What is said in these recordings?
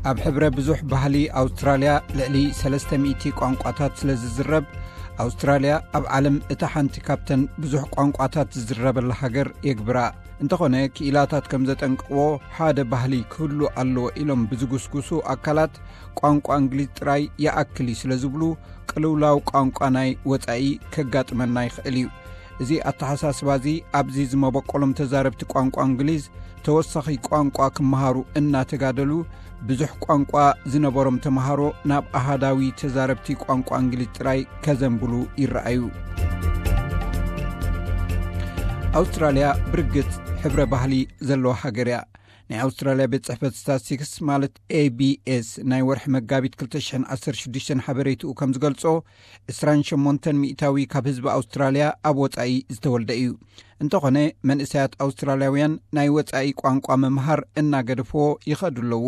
ኣብ ሕብረ ብዙሕ ባህሊ ኣውስትራልያ ልዕሊ ሰለስተ ሚእቲ ቋንቋታት ስለ ዝዝረብ፣ ኣውስትራልያ ኣብ ዓለም እታ ሓንቲ ካብተን ብዙሕ ቋንቋታት ዝዝረበላ ሃገር የግብራ። እንተኾነ፣ ክኢላታት ከም ዘጠንቅቕዎ፣ ሓደ ባህሊ ክህሉ ኣለዎ ኢሎም ብዝጉስጉሱ ኣካላት፣ ቋንቋ እንግሊዝ ጥራይ ይኣክል እዩ ስለ ዝብሉ፣ ቅልውላው ቋንቋ ናይ ወጻኢ ከጋጥመና ይኽእል እዩ። እዚ ኣተሓሳስባ እዚ ኣብዚ ዝመበቆሎም ተዛረብቲ ቋንቋ እንግሊዝ ተወሳኺ ቋንቋ ክመሃሩ እናተጋደሉ፣ ብዙሕ ቋንቋ ዝነበሮም ተምሃሮ ናብ ኣሃዳዊ ተዛረብቲ ቋንቋ እንግሊዝ ጥራይ ከዘንብሉ ይረኣዩ። ኣውስትራልያ ብርግጽ ሕብረ ባህሊ ዘለዋ ሃገር እያ። ናይ ኣውስትራልያ ቤት ጽሕፈት ስታትስቲክስ ማለት ኤ ቢ ኤስ ናይ ወርሒ መጋቢት ክልተ ሽሕን ዓሰርተ ሽዱሽተን ሓበሬትኡ ከም ዝገልጾ፣ ዕስራን ሸሞንተን ሚእታዊ ካብ ህዝቢ ኣውስትራልያ ኣብ ወጻኢ ዝተወልደ እዩ። እንተኾነ፣ መንእሰያት ኣውስትራልያውያን ናይ ወጻኢ ቋንቋ ምምሃር እናገደፍዎ ይኸዱ ኣለዉ።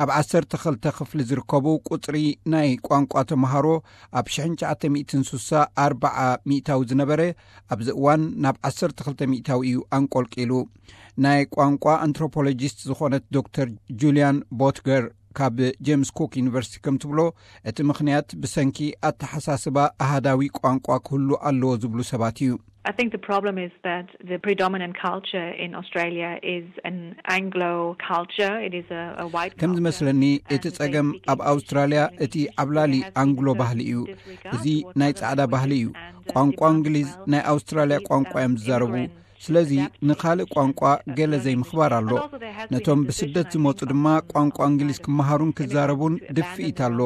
ኣብ ዓሰርተ ክልተ ክፍሊ ዝርከቡ ቁጽሪ ናይ ቋንቋ ተምሃሮ ኣብ ሽሕን ትሽዓተ ሚእትን ስሳ ኣርብዓ ሚእታዊ ዝነበረ፣ ኣብዚ እዋን ናብ ዓሰርተ ክልተ ሚእታዊ እዩ ኣንቆልቂሉ። ናይ ቋንቋ ኣንትሮፖሎጂስት ዝኾነት ዶክተር ጁልያን ቦትገር ካብ ጄምስ ኩክ ዩኒቨርሲቲ ከም ትብሎ፣ እቲ ምኽንያት ብሰንኪ ኣተሓሳስባ ኣሃዳዊ ቋንቋ ክህሉ ኣለዎ ዝብሉ ሰባት እዩ። I think the problem is that the predominant culture in Australia is an Anglo culture. It is a, a white ከም culture. ዝመስለኒ፣ እቲ And they ጸገም speak ኣብ English ኣውስትራልያ in እቲ English. ዓብላሊ There has been ኣንግሎ a ባህሊ እዩ። Disregard እዚ towards ናይ other ጻዕዳ ባህሊ እዩ። Languages and, uh, ቋንቋ different እንግሊዝ ናይ ኣውስትራልያ ቋንቋ እዮም ዝዛረቡ። ስለዚ ንኻልእ ቋንቋ ገለ ዘይምኽባር ኣሎ። ነቶም ብስደት ዝመጹ ድማ ቋንቋ እንግሊዝ ክመሃሩን ክዛረቡን ድፍኢት ኣሎ።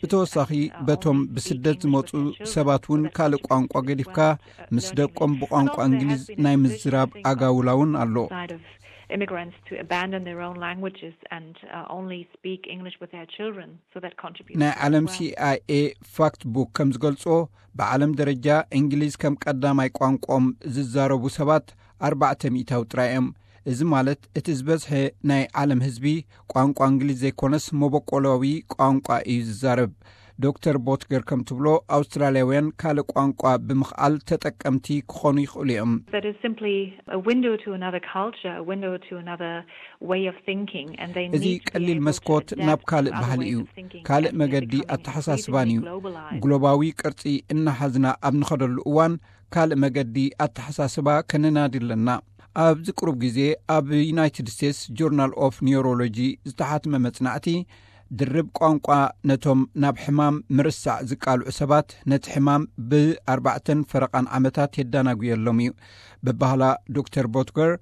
ብተወሳኺ በቶም ብስደት ዝመጹ ሰባት እውን ካልእ ቋንቋ ገዲፍካ ምስ ደቆም ብቋንቋ እንግሊዝ ናይ ምዝራብ ኣጋውላ እውን ኣሎ። Immigrants to abandon their own languages and uh, only speak English with their children. So that contributes. ናይ ዓለም ሲ ኣይ ኤ ፋክት ቡክ ከም ዝገልጾ፣ ብዓለም ደረጃ እንግሊዝ ከም ቀዳማይ ቋንቋኦም ዝዛረቡ ሰባት ኣርባዕተ ሚእታዊ ጥራይ እዮም። እዚ ማለት፣ እቲ ዝበዝሐ ናይ ዓለም ህዝቢ ቋንቋ እንግሊዝ ዘይኮነስ መበቆላዊ ቋንቋ እዩ ዝዛረብ። ዶክተር ቦትገር ከም ትብሎ፣ ኣውስትራልያውያን ካልእ ቋንቋ ብምኽኣል ተጠቀምቲ ክኾኑ ይኽእሉ እዮም። That is simply a window to another culture, a window to another way of thinking, and they እዚ need to be ቀሊል able to መስኮት adapt ናብ to ካልእ other ባህሊ ways እዩ። of thinking ካልእ as they're መገዲ becoming ኣተሓሳስባን እዩ። increasingly globalized. ግሎባዊ ቅርጺ እናሓዝና ኣብ ንኸደሉ እዋን፣ ካልእ መገዲ ኣተሓሳስባ ከነናዲ ኣለና። ኣብዚ ቅሩብ ግዜ ኣብ ዩናይትድ ስቴትስ ጆርናል ኦፍ ኒውሮሎጂ ዝተሓትመ መጽናዕቲ፣ ድርብ ቋንቋ ነቶም ናብ ሕማም ምርሳዕ ዝቃልዑ ሰባት ነቲ ሕማም ብኣርባዕተን ፈረቓን ዓመታት የዳናጉየሎም እዩ። ብባህላ ዶክተር ቦትገር፣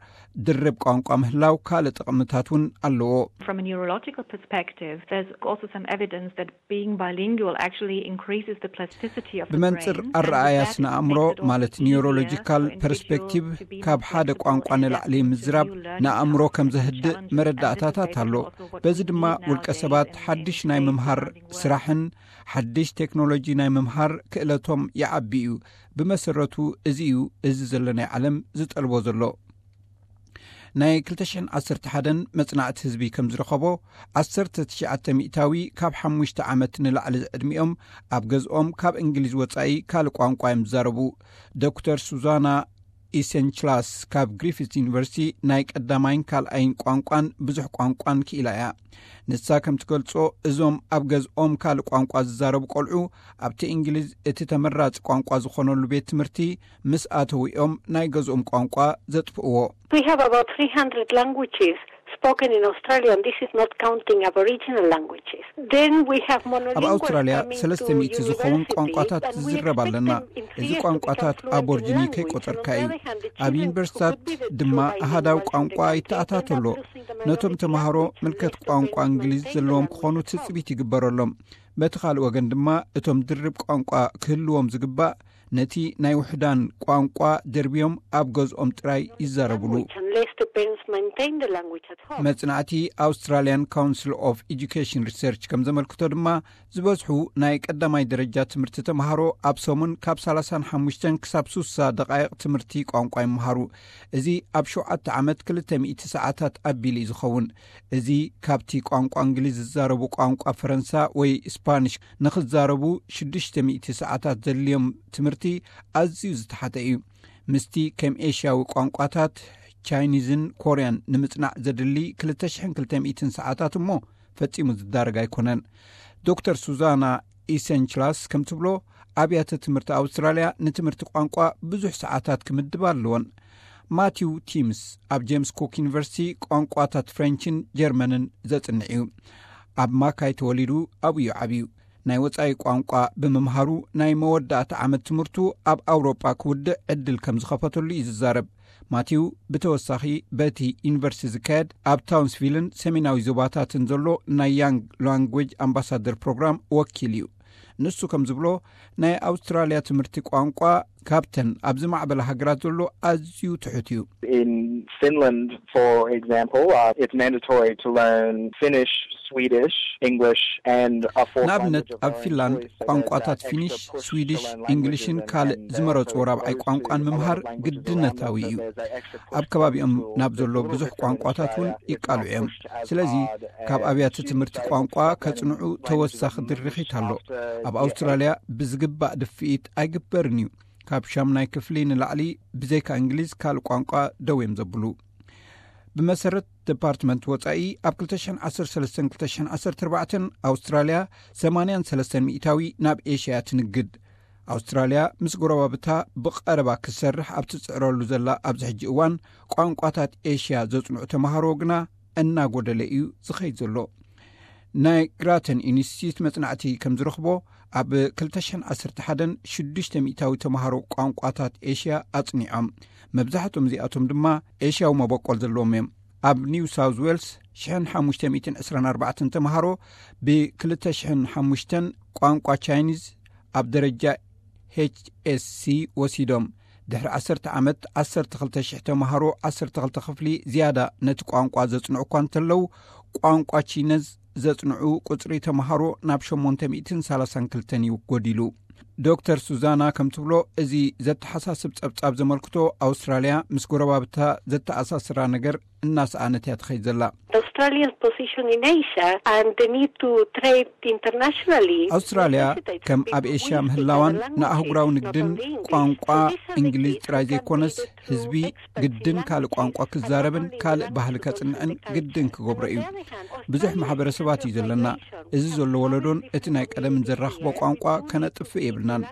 ድርብ ቋንቋ ምህላው ካልእ ጥቕምታት እውን ኣለዎ። From a neurological perspective, there's also some evidence that being bilingual actually increases the plasticity of the ብመንጽር brain, and ኣረኣያ that ስነ makes ኣእምሮ it also ማለት easier ኒውሮሎጂካል for individuals ፐርስፔክቲቭ to be more ካብ ሓደ flexible ቋንቋ and ንላዕሊ adapt to ምዝራብ new learning ንኣእምሮ styles ከም and ዘህድእ challenges. And this is መረዳእታታት ኣሎ። basically also what በዚ we ድማ need ውልቀ nowadays ሰባት in, ሓድሽ in ናይ today's ምምሃር demanding world. ስራሕን ሓድሽ ቴክኖሎጂ ናይ ምምሃር ክእለቶም ይዓቢ እዩ። ብመሰረቱ እዚ እዩ እዚ ዘሎ ናይ ዓለም ዝጠልቦ ዘሎ። ናይ ክልተ ሽሕን ዓሰርተ ሓደን መጽናዕቲ ህዝቢ ከም ዝረኸቦ፣ ዓሰርተ ትሽዓተ ሚእታዊ ካብ ሓሙሽተ ዓመት ንላዕሊ ዕድሚኦም ኣብ ገዝኦም ካብ እንግሊዝ ወጻኢ ካልእ ቋንቋ እዮም ዝዛረቡ። ዶክተር ሱዛና ኢሰንችላስ ካብ ግሪፊትስ ዩኒቨርሲቲ ናይ ቀዳማይን ካልኣይን ቋንቋን ብዙሕ ቋንቋን ክኢላ እያ። ንሳ ከም ትገልጾ፣ እዞም ኣብ ገዝኦም ካልእ ቋንቋ ዝዛረቡ ቆልዑ ኣብቲ እንግሊዝ እቲ ተመራጺ ቋንቋ ዝኾነሉ ቤት ትምህርቲ ምስ ኣተውኦም ናይ ገዝኦም ቋንቋ ዘጥፍእዎ። We have about three hundred languages spoken in Australia, and this is not counting Aboriginal languages. Then we have monolinguals ኣብ ኣውስትራልያ coming ሰለስተ to ሚእቲ ዝኾኑ universities, ቋንቋታት and we ዝዝረብ expect ኣለና። them in three እዚ years to ቋንቋታት become fluent in ኣቦርጂኒ language. ከይቆጸርካ And on እዩ። the other hand, the ኣብ children ዩኒቨርሲታት could be the ድማ two ኣሃዳዊ bilinguals, and ቋንቋ they can ይተኣታቶ end up ኣሎ። losing the ነቶም minority ተምሃሮ language. We ምልከት have to ቋንቋ maintain እንግሊዝ the ዘለዎም language ክኾኑ at home. ትጽቢት ይግበረሎም። በቲ ካልእ ወገን ድማ፣ እቶም ድርብ ቋንቋ ክህልዎም ዝግባእ፣ ነቲ ናይ ውሕዳን ቋንቋ ደርብዮም ኣብ ገዝኦም ጥራይ ይዛረብሉ። Language, unless the parents maintain the language at home. መጽናዕቲ ኣውስትራልያን ካውንስል ኦፍ ኤጁኬሽን ሪሰርች ከም ዘመልክቶ ድማ፣ ዝበዝሑ ናይ ቀዳማይ ደረጃ ትምህርቲ ተምሃሮ ኣብ ሰሙን ካብ ሰላሳን ሓሙሽተን ክሳብ ሱሳ ደቓይቕ ትምህርቲ ቋንቋ ይመሃሩ። እዚ ኣብ ሸውዓተ ዓመት ክልተ ሚእቲ ሰዓታት ኣቢሉ እዩ ዝኸውን። እዚ ካብቲ ቋንቋ እንግሊዝ ዝዛረቡ ቋንቋ ፈረንሳ ወይ ስፓኒሽ ንኽዛረቡ ሽዱሽተ ሚእቲ ሰዓታት ዘድልዮም ትምህርቲ ኣዝዩ ዝተሓተ እዩ። ምስቲ ከም ኤሽያዊ ቋንቋታት ቻይኒዝን ኮርያን ንምጽናዕ ዘድሊ ክልተ ሽሕን ክልተ ሚእትን ሰዓታት እሞ ፈጺሙ ዝዳረግ ኣይኮነን። ዶክተር ሱዛና ኢሰንችላስ ከም ትብሎ፣ ኣብያተ ትምህርቲ ኣውስትራልያ ንትምህርቲ ቋንቋ ብዙሕ ሰዓታት ክምድባ ኣለወን። ማቲው ቲምስ ኣብ ጄምስ ኩክ ዩኒቨርሲቲ ቋንቋታት ፍሬንችን ጀርመንን ዘጽንዕ እዩ። ኣብ ማካይ ተወሊዱ ኣብኡ እዩ ዓብዩ። ናይ ወጻኢ ቋንቋ ብምምሃሩ ናይ መወዳእታ ዓመት ትምህርቱ ኣብ ኣውሮጳ ክውድእ ዕድል ከም ዝኸፈተሉ እዩ ዝዛረብ። ማቲው ብተወሳኺ በቲ ዩኒቨርሲቲ ዝካየድ ኣብ ታውንስቪልን ሰሜናዊ ዞባታትን ዘሎ ናይ ያንግ ላንጉጅ ኣምባሳደር ፕሮግራም ወኪል እዩ። ንሱ ከም ዝብሎ፣ ናይ ኣውስትራልያ ትምህርቲ ቋንቋ ካብተን ኣብ ዝማዕበላ ሃገራት ዘሎ ኣዝዩ ትሑት እዩ። In Finland, for example, uh, it's mandatory to learn Finnish, Swedish, English, and a fourth ንኣብነት language of ኣብ our ፊንላንድ employees. So there's ቋንቋታት that ፊኒሽ፣ extra push to ስዊዲሽ፣ learn እንግሊሽን languages and ካልእ then they ዝመረጹ also ራብዓይ expose ቋንቋን to a lot ምምሃር of languages ግድነታዊ around them. እዩ። So there's that extra push ኣብ to ከባቢኦም learn ናብ to ዘሎ move ብዙሕ to ቋንቋታት እውን Australia is ይቃልዑ እዮም። pushed as ስለዚ hard ካብ as ኣብያተ students ትምህርቲ are ቋንቋ able to ከጽንዑ learn languages ተወሳኺ of ድርኺት English ኣሎ። after ኣብ year ኣውስትራልያ ብዝግባእ ድፍኢት ኣይግበርን እዩ። ካብ ሻምናይ ክፍሊ ንላዕሊ ብዘይካ እንግሊዝ ካልእ ቋንቋ ደው እዮም ዘብሉ። ብመሰረት ዲፓርትመንት ወጻኢ፣ ኣብ ክልተ ሽሕን ዓሰርተ ሰለስተን ክልተ ሽሕን ዓሰርተ ኣርባዕተን ኣውስትራልያ ሰማንያን ሰለስተን ሚእታዊ ናብ ኤሽያ ትንግድ። ኣውስትራልያ ምስ ጎረባብታ ብቐረባ ክትሰርሕ ኣብ ትጽዕረሉ ዘላ ኣብዚ ሕጂ እዋን፣ ቋንቋታት ኤሽያ ዘጽንዑ ተማሃሮ ግና እናጎደለ እዩ ዝኸይድ ዘሎ። ናይ ግራተን ኢንስቲትዩት መጽናዕቲ ከም ዝረኽቦ፣ ኣብ ክልተ ሽሕን ዓሰርተ ሓደን ሽዱሽተ ሚእታዊ ተማሃሮ ቋንቋታት ኤሽያ ኣጽኒዖም። መብዛሕትኦም እዚኣቶም ድማ ኤሽያዊ መበቆል ዘለዎም እዮም። ኣብ ኒው ሳውዝ ዌልስ ሽሕን ሓሙሽተ ሚእትን ዕስራን ኣርባዕተን ተማሃሮ ብ ክልተ ሽሕን ሓሙሽተን ቋንቋ ቻይኒዝ ኣብ ደረጃ ኤች ኤስ ሲ ወሲዶም። ድሕሪ ዓሰርተ ዓመት ዓሰርተ ክልተ ሽሕ ተማሃሮ ዓሰርተ ክልተ ክፍሊ ዝያዳ ነቲ ቋንቋ ዘጽንዑ እኳ እንተለዉ፣ ቋንቋ ቺነዝ ዘጽንዑ ቁጽሪ ተማሃሮ ናብ ሸሞንተ ሚእትን ሰላሳን ክልተን እዩ ጎዲሉ። ዶክተር ሱዛና ከም ትብሎ፣ እዚ ዘተሓሳስብ ጸብጻብ ዘመልክቶ፣ ኣውስትራልያ ምስ ጎረባብታ ዘተኣሳስራ ነገር እናሰኣነት እያ ትኸይድ ዘላ። Australia's position in Asia and the need to trade internationally ኣውስትራልያ ከም ኣብ ኤሽያ ምህላዋን ንኣህጉራዊ ንግድን ቋንቋ እንግሊዝ ጥራይ ዘይኮነስ፣ ህዝቢ ግድን ካልእ ቋንቋ ክዛረብን ካልእ ባህሊ ከጽንዕን ግድን ክገብሮ እዩ። ብዙሕ ማሕበረሰባት እዩ ዘለና። እዚ ዘሎ ወለዶን እቲ ናይ ቀደምን ዘራኽቦ ቋንቋ ከነጥፍእ የብልናን።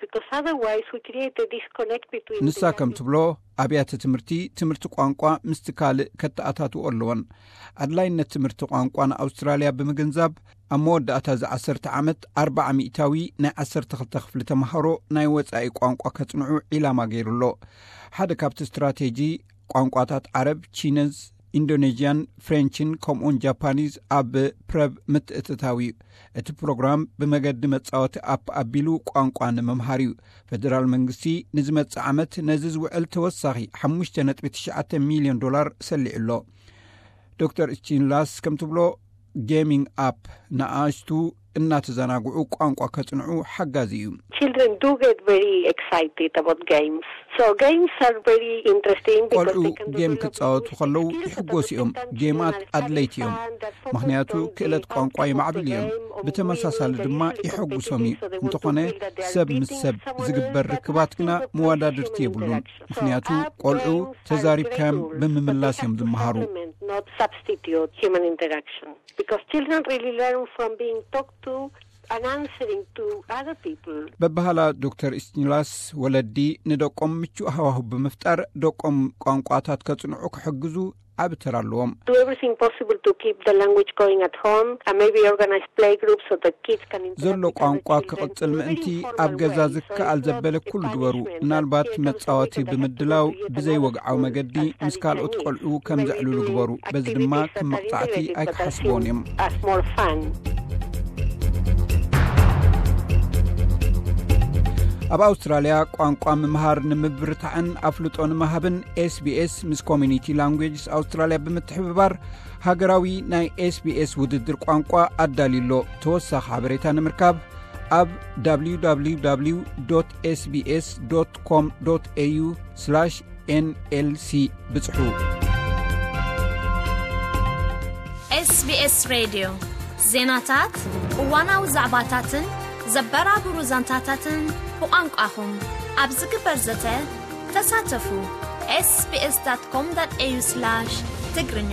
Because otherwise we create a disconnect between ንሳ ከም ትብሎ፣ ኣብያተ ትምህርቲ ትምህርቲ ቋንቋ ምስቲ ካልእ ከተኣታትዎ ኣለወን። ኣድላይነት ትምህርቲ ቋንቋ ንኣውስትራልያ ብምግንዛብ፣ ኣብ መወዳእታ እዚ ዓሰርተ ዓመት ኣርባዓ ሚእታዊ ናይ ዓሰርተ ክልተ ክፍሊ ተምሃሮ ናይ ወጻኢ ቋንቋ ከጽንዑ ዒላማ ገይሩ ኣሎ። ሓደ ካብቲ ስትራቴጂ፣ ቋንቋታት ዓረብ፣ ቺነዝ፣ ኢንዶኔዥያን ፍሬንችን ከምኡውን ጃፓኒዝ ኣብ ፕረብ ምትእትታው እዩ። እቲ ፕሮግራም ብመገዲ መጻወቲ ኣፕ ኣቢሉ ቋንቋ ንምምሃር እዩ። ፈደራል መንግስቲ ንዝመጽእ ዓመት ነዚ ዝውዕል ተወሳኺ ሓሙሽተ ነጥቢ ትሽዓተ ሚልዮን ዶላር ሰሊዑ ኣሎ። ዶክተር ስቲንላስ ከም ትብሎ፣ ጌሚንግ ኣፕ ንኣሽቱ እናተዘናግዑ ቋንቋ ከጽንዑ ሓጋዚ እዩ። Children do get very excited about games. So games are very interesting because ቆልዑ they can ጌም develop ክጻወቱ ከለዉ ይሕጎሱ እዮም። ጌማት ኣድለይቲ እዮም፣ ምኽንያቱ ክእለት ቋንቋ የማዕብሉ እዮም። ብተመሳሳሊ ድማ ይሐጉሶም እዩ። እንተኾነ ሰብ ምስ ሰብ ዝግበር ርክባት ግና መወዳድርቲ የብሉን፣ ምኽንያቱ ቆልዑ ተዛሪብካዮም ብምምላስ እዮም ዝመሃሩ። Not substitute human interaction. Because children really learn from being talked to and answering to other people. በባህላ ዶክተር ስቲንላስ፣ ወለዲ ንደቆም ምቹእ ሃዋሁ ብምፍጣር ደቆም ቋንቋታት ከጽንዑ ክሕግዙ ዓቢ ተራ ኣለዎም። Do everything possible to keep the language going at home and maybe organize play groups so the kids can interact ዘሎ with other ቋንቋ children ክቕጽል in a ምእንቲ very informal ኣብ ገዛ way. So ዝከኣል it's not ዘበለ a ኩሉ ግበሩ። punishment, ምናልባት but it's also መጻወቲ something that ብምድላው happens to yet ብዘይ another ወግዓዊ school መገዲ and ምስ study ካልኦት Chinese. ቆልዑ ከም Maybe ዘዕልሉ doing ግበሩ። በዚ ድማ activities ከም that are መቕጻዕቲ integrated but are ኣይክሓስብዎን seen እዮም። As more fun. ኣብ ኣውስትራልያ ቋንቋ ምምሃር ንምብርታዕን ኣፍልጦ ንምሃብን ኤስቢኤስ ምስ ኮሚኒቲ ላንጉጅስ ኣውስትራልያ ብምትሕብባር ሃገራዊ ናይ ኤስቢኤስ ውድድር ቋንቋ ኣዳልዩ ኣሎ። ተወሳኺ ሓበሬታ ንምርካብ ኣብ www sbs com au nlc ብጽሑ። SBS ሬድዮ ዜናታት፣ እዋናዊ ዛዕባታትን ዘበራብሩ ዛንታታትን ብቋንቋኹም ኣብ ዝግበር ዘተ ተሳተፉ። sbs.com.au/ትግርኛ